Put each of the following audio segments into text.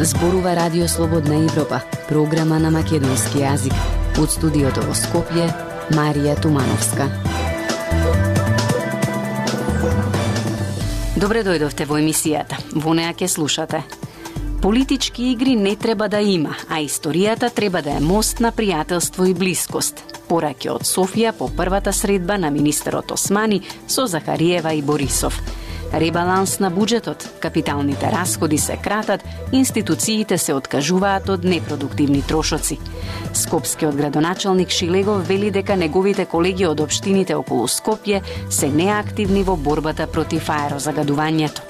Зборува Радио Слободна Европа, програма на македонски јазик. Од студиото во Скопје, Марија Тумановска. Добре дојдовте во емисијата. Во неа ќе слушате. Политички игри не треба да има, а историјата треба да е мост на пријателство и блискост. Пораки од Софија по првата средба на министерот Османи со Захариева и Борисов. Ребаланс на буџетот, капиталните расходи се кратат, институциите се откажуваат од непродуктивни трошоци. Скопскиот градоначалник Шилегов вели дека неговите колеги од општините околу Скопје се неактивни во борбата против аерозагадувањето.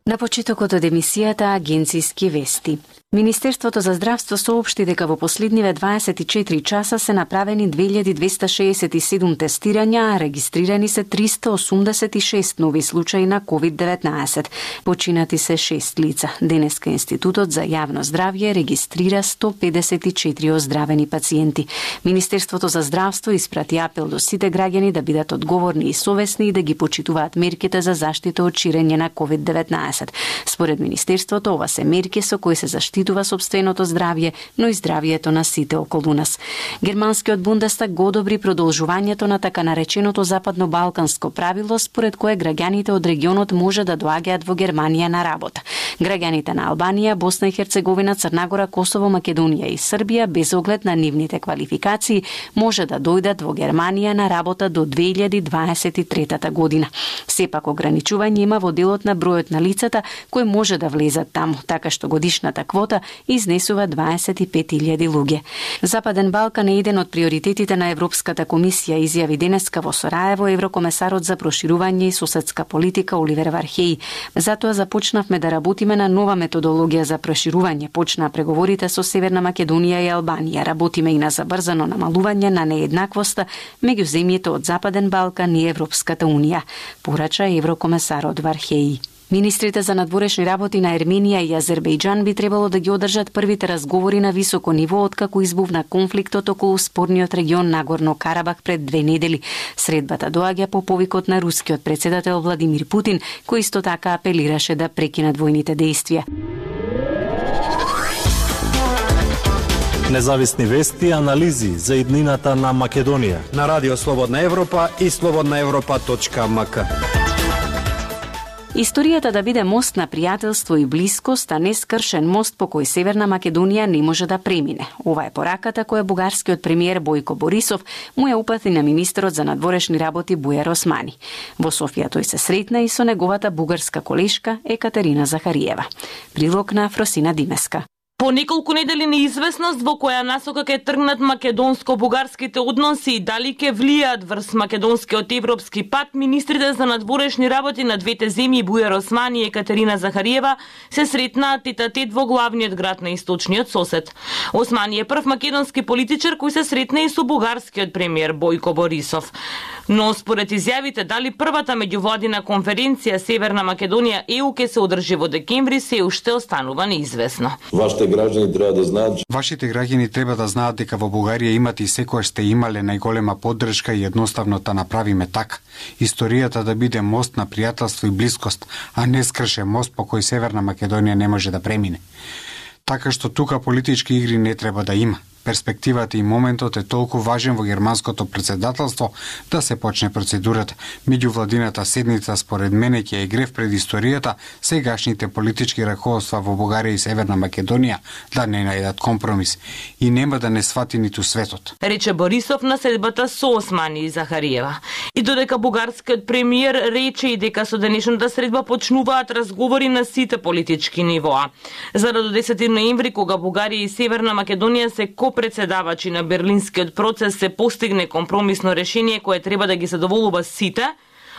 На почетокот од емисијата агенцијски вести. Министерството за здравство соопшти дека во последниве 24 часа се направени 2267 тестирања, а регистрирани се 386 нови случаи на COVID-19. Починати се 6 лица. Денеска Институтот за јавно здравје регистрира 154 оздравени пациенти. Министерството за здравство испрати апел до сите граѓани да бидат одговорни и совесни и да ги почитуваат мерките за заштита од ширење на COVID-19. Според Министерството, ова се мерки со кои се заштитува сопственото здравје, но и здравјето на сите околу нас. Германскиот Бундестаг го одобри продолжувањето на така нареченото западно-балканско правило, според кое граѓаните од регионот може да доаѓаат во Германија на работа. Граѓаните на Албанија, Босна и Херцеговина, Црна Гора, Косово, Македонија и Србија, без оглед на нивните квалификации, може да дојдат во Германија на работа до 2023 година. Сепак ограничување има во делот на бројот на лицата кои може да влезат таму, така што годишната квота изнесува 25.000 луѓе. Западен Балкан е еден од приоритетите на Европската комисија, изјави денеска во Сорајево еврокомесарот за проширување и соседска политика Оливер Вархеј. Затоа започнавме да работиме на нова методологија за проширување. Почнаа преговорите со Северна Македонија и Албанија. Работиме и на забрзано намалување на нееднаквоста меѓу земјите од Западен Балкан и Европската унија, порача еврокомесарот Вархеј. Министрите за надворешни работи на Ерменија и Азербејџан би требало да ги одржат првите разговори на високо ниво откако избувна конфликтот околу спорниот регион Нагорно Карабах пред 2 недели. Средбата доаѓа по повикот на рускиот председател Владимир Путин, кој исто така апелираше да прекинат војните дејствија. Независни вести и анализи за иднината на Македонија на Радио Слободна Европа и slobodnaevropa.mk. Историјата да биде мост на пријателство и блискост, а не скршен мост по кој Северна Македонија не може да премине. Ова е пораката која бугарскиот премиер Бојко Борисов му ја упати на министерот за надворешни работи Бујар Османи. Во Софија тој се сретна и со неговата бугарска колешка Екатерина Захариева. Прилог на Фросина Димеска. По неколку недели неизвестност во која насока ќе тргнат македонско-бугарските односи и дали ќе влијаат врз македонскиот европски пат, министрите за надворешни работи на двете земји Бујар Османи и Екатерина Захариева се сретнаа тет-а-тет во главниот град на источниот сосед. Османи е прв македонски политичар кој се сретна и со бугарскиот премиер Бојко Борисов. Но според изјавите дали првата меѓувладина конференција Северна Македонија ЕУ ќе се одржи во декември се уште останува неизвестно. Вашите граѓани треба да знаат дека во Бугарија имате и секојаш сте имале најголема поддршка и едноставно да направиме така. Историјата да биде мост на пријателство и блискост, а не скршен мост по кој Северна Македонија не може да премине. Така што тука политички игри не треба да има. Перспективата и моментот е толку важен во германското претседателство да се почне процедурата. Меѓувладината седница според мене ќе е грев пред историјата сегашните политички раководства во Бугарија и Северна Македонија да не најдат компромис и нема да не свати ниту светот. Рече Борисов на седбата со Османи и Захариева. И додека бугарскиот премиер рече и дека со денешната средба почнуваат разговори на сите политички нивоа. За до 10 ноември кога Бугарија и Северна Македонија се председавачи на Берлинскиот процес се постигне компромисно решение кое треба да ги задоволува сите,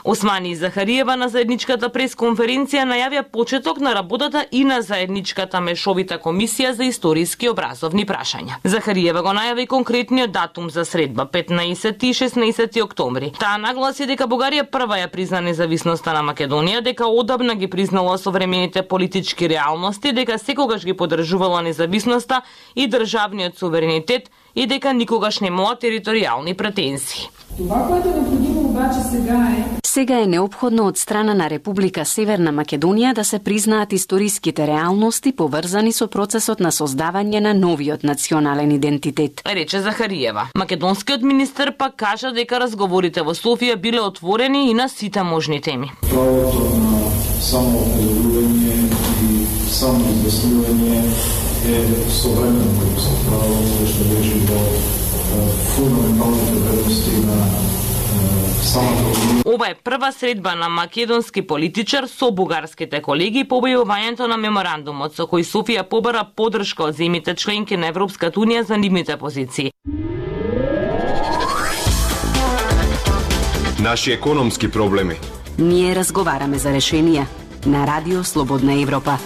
Османи и Захариева на заедничката пресконференција најавија почеток на работата и на заедничката мешовита комисија за историски образовни прашања. Захариева го најави конкретниот датум за средба 15 и 16 октомври. Таа нагласи дека Бугарија прва ја призна независноста на Македонија, дека одамна ги признала современите политички реалности, дека секогаш ги поддржувала независноста и државниот суверенитет и дека никогаш немала територијални претензии. Сега е неопходно од страна на Република Северна Македонија да се признаат историските реалности поврзани со процесот на создавање на новиот национален идентитет, рече Захариева. Македонскиот министер пак кажа дека разговорите во Софија биле отворени и на сите можни теми. Правото на самоопределување и самоизјаснување е современо право што лежи во фундаменталните вредности на Ова е прва средба на македонски политичар со бугарските колеги по објавувањето на меморандумот со кој Софија побара поддршка од земјите членки на Европската унија за нивните позиции. Наши економски проблеми. Ние разговараме за решенија на Радио Слободна Европа.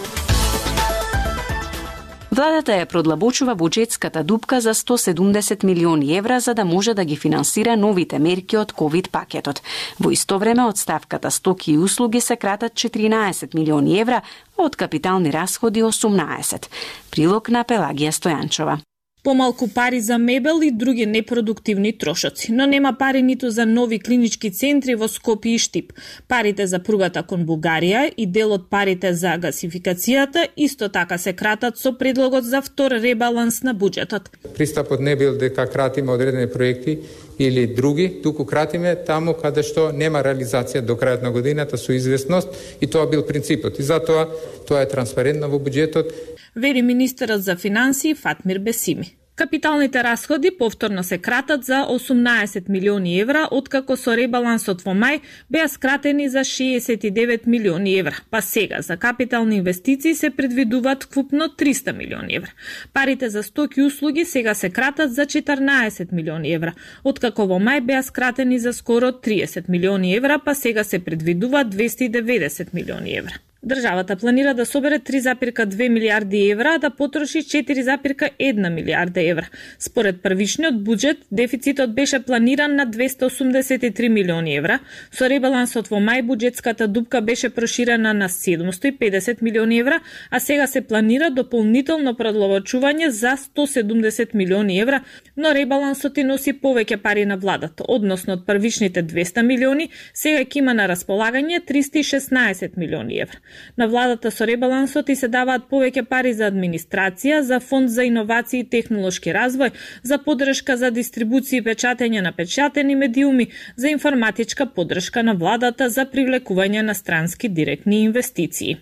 Владата ја продлабочува буџетската дупка за 170 милиони евра за да може да ги финансира новите мерки од ковид пакетот. Во исто време од ставката стоки и услуги се кратат 14 милиони евра, а од капитални расходи 18. Прилог на Пелагија Стојанчова. Помалку пари за мебел и други непродуктивни трошоци, но нема пари ниту за нови клинички центри во Скопје и Штип. Парите за пругата кон Бугарија и дел од парите за гасификацијата исто така се кратат со предлогот за втор ребаланс на буџетот. Пристапот не бил дека кратиме одредени проекти или други, туку кратиме таму каде што нема реализација до крајот на годината со известност и тоа бил принципот. И затоа тоа е транспарентно во буџетот, вери министерот за финансии Фатмир Бесими. Капиталните расходи повторно се кратат за 18 милиони евра, откако со ребалансот во мај беа скратени за 69 милиони евра, па сега за капитални инвестиции се предвидуваат вкупно 300 милиони евра. Парите за стоки и услуги сега се кратат за 14 милиони евра, откако во мај беа скратени за скоро 30 милиони евра, па сега се предвидуваат 290 милиони евра. Државата планира да собере 3,2 милиарди евра, а да потроши 4,1 милиарда евра. Според првичниот буџет, дефицитот беше планиран на 283 милиони евра. Со ребалансот во мај буџетската дупка беше проширена на 750 милиони евра, а сега се планира дополнително продлабочување за 170 милиони евра, но ребалансот и носи повеќе пари на владата, односно од првичните 200 милиони, сега ќе има на располагање 316 милиони евра. На владата со ребалансот и се даваат повеќе пари за администрација, за фонд за иновации и технолошки развој, за поддршка за дистрибуција и печатење на печатени медиуми, за информатичка поддршка на владата за привлекување на странски директни инвестиции.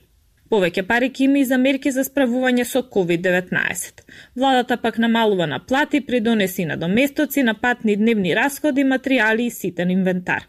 Повеќе пари ќе има и за мерки за справување со COVID-19. Владата пак намалува на плати, придонеси на доместоци, на патни дневни расходи, материјали и ситен инвентар.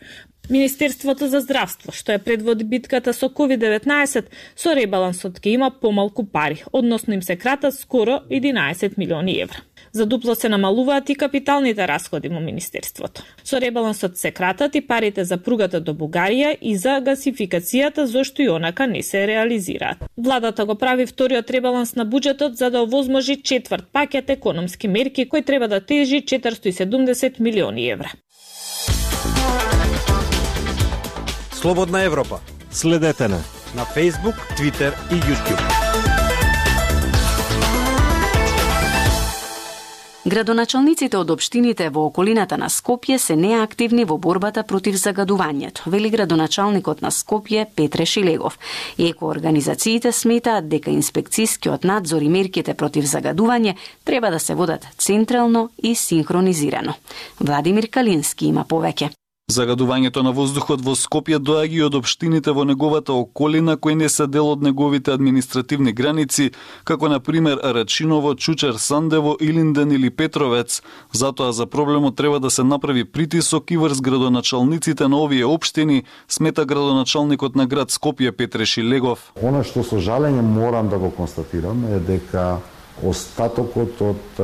Министерството за здравство, што е предводи битката со COVID-19, со ребалансот ќе има помалку пари, односно им се кратат скоро 11 милиони евра. За дупло се намалуваат и капиталните расходи во Министерството. Со ребалансот се кратат и парите за пругата до Бугарија и за гасификацијата, зашто и онака не се реализираат. Владата го прави вториот ребаланс на буџетот за да овозможи четврт пакет економски мерки кој треба да тежи 470 милиони евра. Слободна Европа. Следете на Facebook, Twitter и YouTube. Градоначалниците од општините во околината на Скопје се неактивни во борбата против загадувањето, вели градоначалникот на Скопје Петре Шилегов. Екоорганизациите сметаат дека инспекцијскиот надзор и мерките против загадување треба да се водат централно и синхронизирано. Владимир Калински има повеќе. Загадувањето на воздухот во Скопје доаѓа и од општините во неговата околина кои не се дел од неговите административни граници, како на пример Рачиново, Чучер, Сандево, Илинден или Петровец. Затоа за проблемот треба да се направи притисок и врз градоначалниците на овие општини, смета градоначалникот на град Скопје Петре Шилегов. Она што со жалење морам да го констатирам е дека остатокот од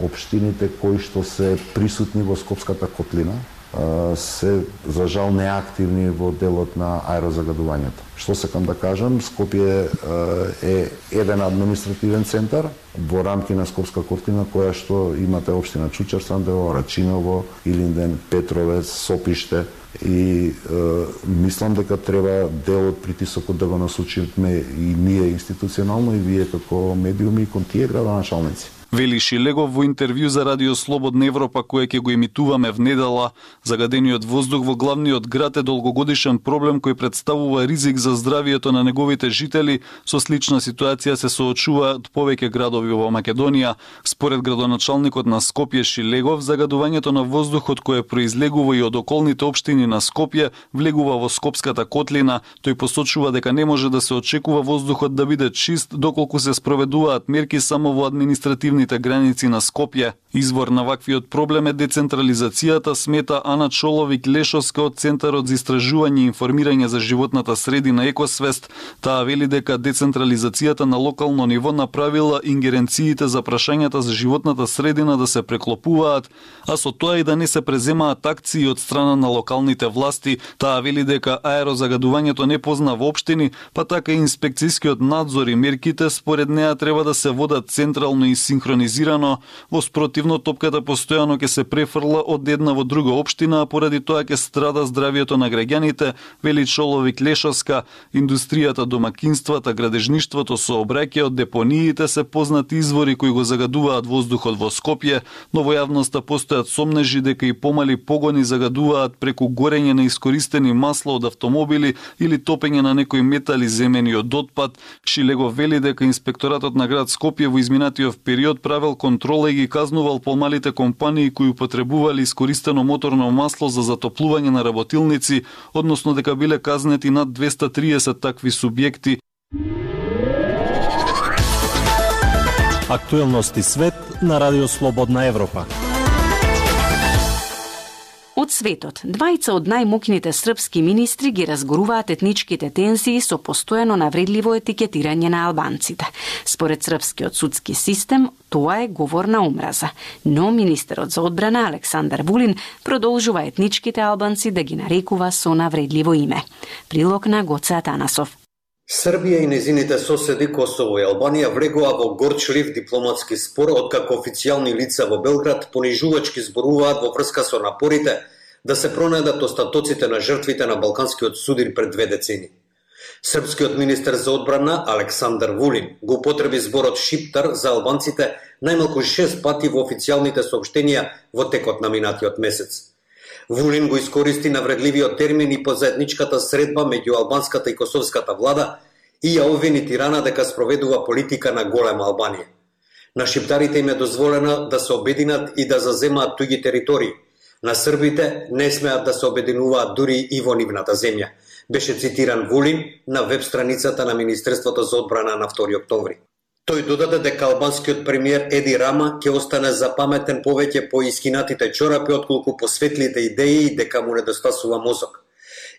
општините кои што се присутни во Скопската котлина се за жал неактивни во делот на аерозагадувањето. Што сакам да кажам, Скопје е еден административен центар во рамки на Скопска котлина која што имате општина Чучер, Сандево, Рачиново, Илинден, Петровец, Сопиште и мислам дека треба дел од притисокот да го насочиме и ние институционално и вие како медиуми и кон тие градоначалници. Вели Шилегов во интервју за Радио Слободна Европа кое ќе го емитуваме внедела. Загадениот воздух во главниот град е долгогодишен проблем кој представува ризик за здравието на неговите жители. Со слична ситуација се соочуваат повеќе градови во Македонија. Според градоначалникот на Скопје Шилегов, загадувањето на воздухот кое произлегува и од околните општини на Скопје влегува во Скопската котлина. Тој посочува дека не може да се очекува воздухот да биде чист доколку се спроведуваат мерки само во административните граници на Скопје. Извор на ваквиот проблем е децентрализацијата, смета Ана Чоловик-Лешовска од Центарот за истражување и информирање за животната средина Екосвест. Таа вели дека децентрализацијата на локално ниво направила ингеренциите за прашањата за животната средина да се преклопуваат, а со тоа и да не се преземаат акции од страна на локалните власти. Таа вели дека аерозагадувањето не познава општини, па така и инспекцијскиот надзор и мерките според неа треба да се водат централно и синхронизирано. Во спротивно топката постојано ќе се префрла од една во друга општина, а поради тоа ќе страда здравието на граѓаните, вели Чоловик-Лешовска. Индустријата, домакинствата, градежништвото, сообраќајот, депониите се познати извори кои го загадуваат воздухот во Скопје, но во јавноста постојат сомнежи дека и помали погони загадуваат преку горење на искористени масла од автомобили или топење на некои метали земени од отпад. Шилегов вели дека инспекторатот на град Скопје во изминатиот период правел контрола и ги казнувал помалите компании кои употребувале искористено моторно масло за затоплување на работилници, односно дека биле казнети над 230 такви субјекти. Актуелности свет на Радио Слободна Европа. Од светот, двајца од најмокните српски министри ги разгоруваат етничките тензии со постојано навредливо етикетирање на албанците. Според српскиот судски систем, тоа е говор на омраза. Но министерот за одбрана Александар Вулин продолжува етничките албанци да ги нарекува со навредливо име. Прилог на Гоце Атанасов. Србија и незините соседи Косово и Албанија влегува во горчлив дипломатски спор откако официјални лица во Белград понижувачки зборуваат во врска со напорите да се пронајдат остатоците на жртвите на балканскиот судир пред 2 децени. Српскиот министер за одбрана Александар Вулин го употреби зборот Шиптар за албанците најмалку 6 пати во официјалните соопштенија во текот на минатиот месец. Вулин го искористи навредливиот термин и по заедничката средба меѓу албанската и косовската влада и ја обвини Тирана дека спроведува политика на голема Албанија. На шиптарите им е дозволено да се обединат и да заземаат туѓи територии. На србите не смеат да се обединуваат дури и во нивната земја, беше цитиран Вулин на веб страницата на Министерството за одбрана на 2 октомври. Тој додаде дека албанскиот премиер Еди Рама ќе остане запаметен повеќе по искинатите чорапи отколку по светлите идеи и дека му недостасува мозок.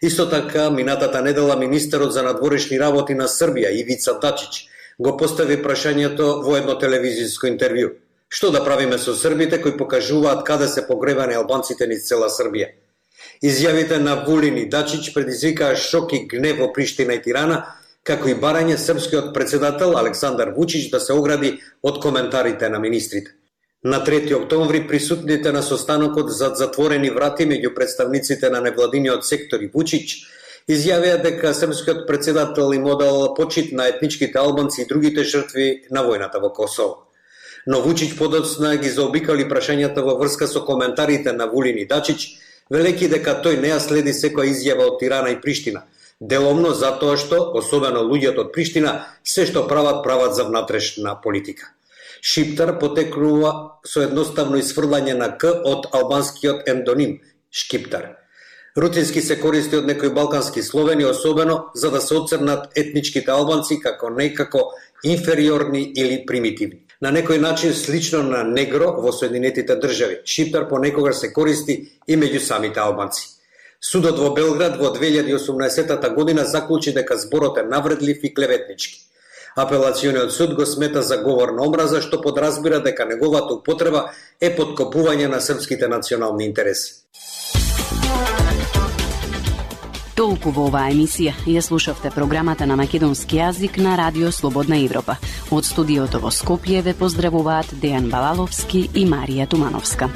Исто така, минатата недела министерот за надворешни работи на Србија Ивица Дачич го постави прашањето во едно телевизиско интервју. Што да правиме со србите кои покажуваат каде се погребани албанците низ цела Србија? Изјавите на Вулин и Дачич предизвикаа шок и гнев во Приштина и Тирана, како и барање српскиот председател Александар Вучич да се огради од коментарите на министрите. На 3 октомври присутните на состанокот зад затворени врати меѓу представниците на невладиниот сектор и Вучич изјавија дека српскиот председател им одал почит на етничките албанци и другите жртви на војната во Косово. Но Вучич подоцна ги заобикали прашањата во врска со коментарите на Вулин и Дачич, велејќи дека тој не ја следи секоја изјава од Тирана и Приштина, деломно затоа што, особено луѓето од Приштина, се што прават за внатрешна политика. Шиптар потекнува со едноставно исфрлање на К од албанскиот ендоним Шкиптар. Рутински се користи од некои балкански словени, особено за да се оцрнат етничките албанци како некако инфериорни или примитивни. На некој начин слично на негро во Соединетите држави. Шиптар понекогаш се користи и меѓу самите албанци. Судот во Белград во 2018 година заклучи дека зборот е навредлив и клеветнички. Апелациониот суд го смета за говор на омраза, што подразбира дека неговата употреба е поткопување на српските национални интереси. Толку во оваа емисија. Ја слушавте програмата на македонски јазик на Радио Слободна Европа. Од студиото во Скопје ве поздравуваат Дејан Балаловски и Марија Тумановска.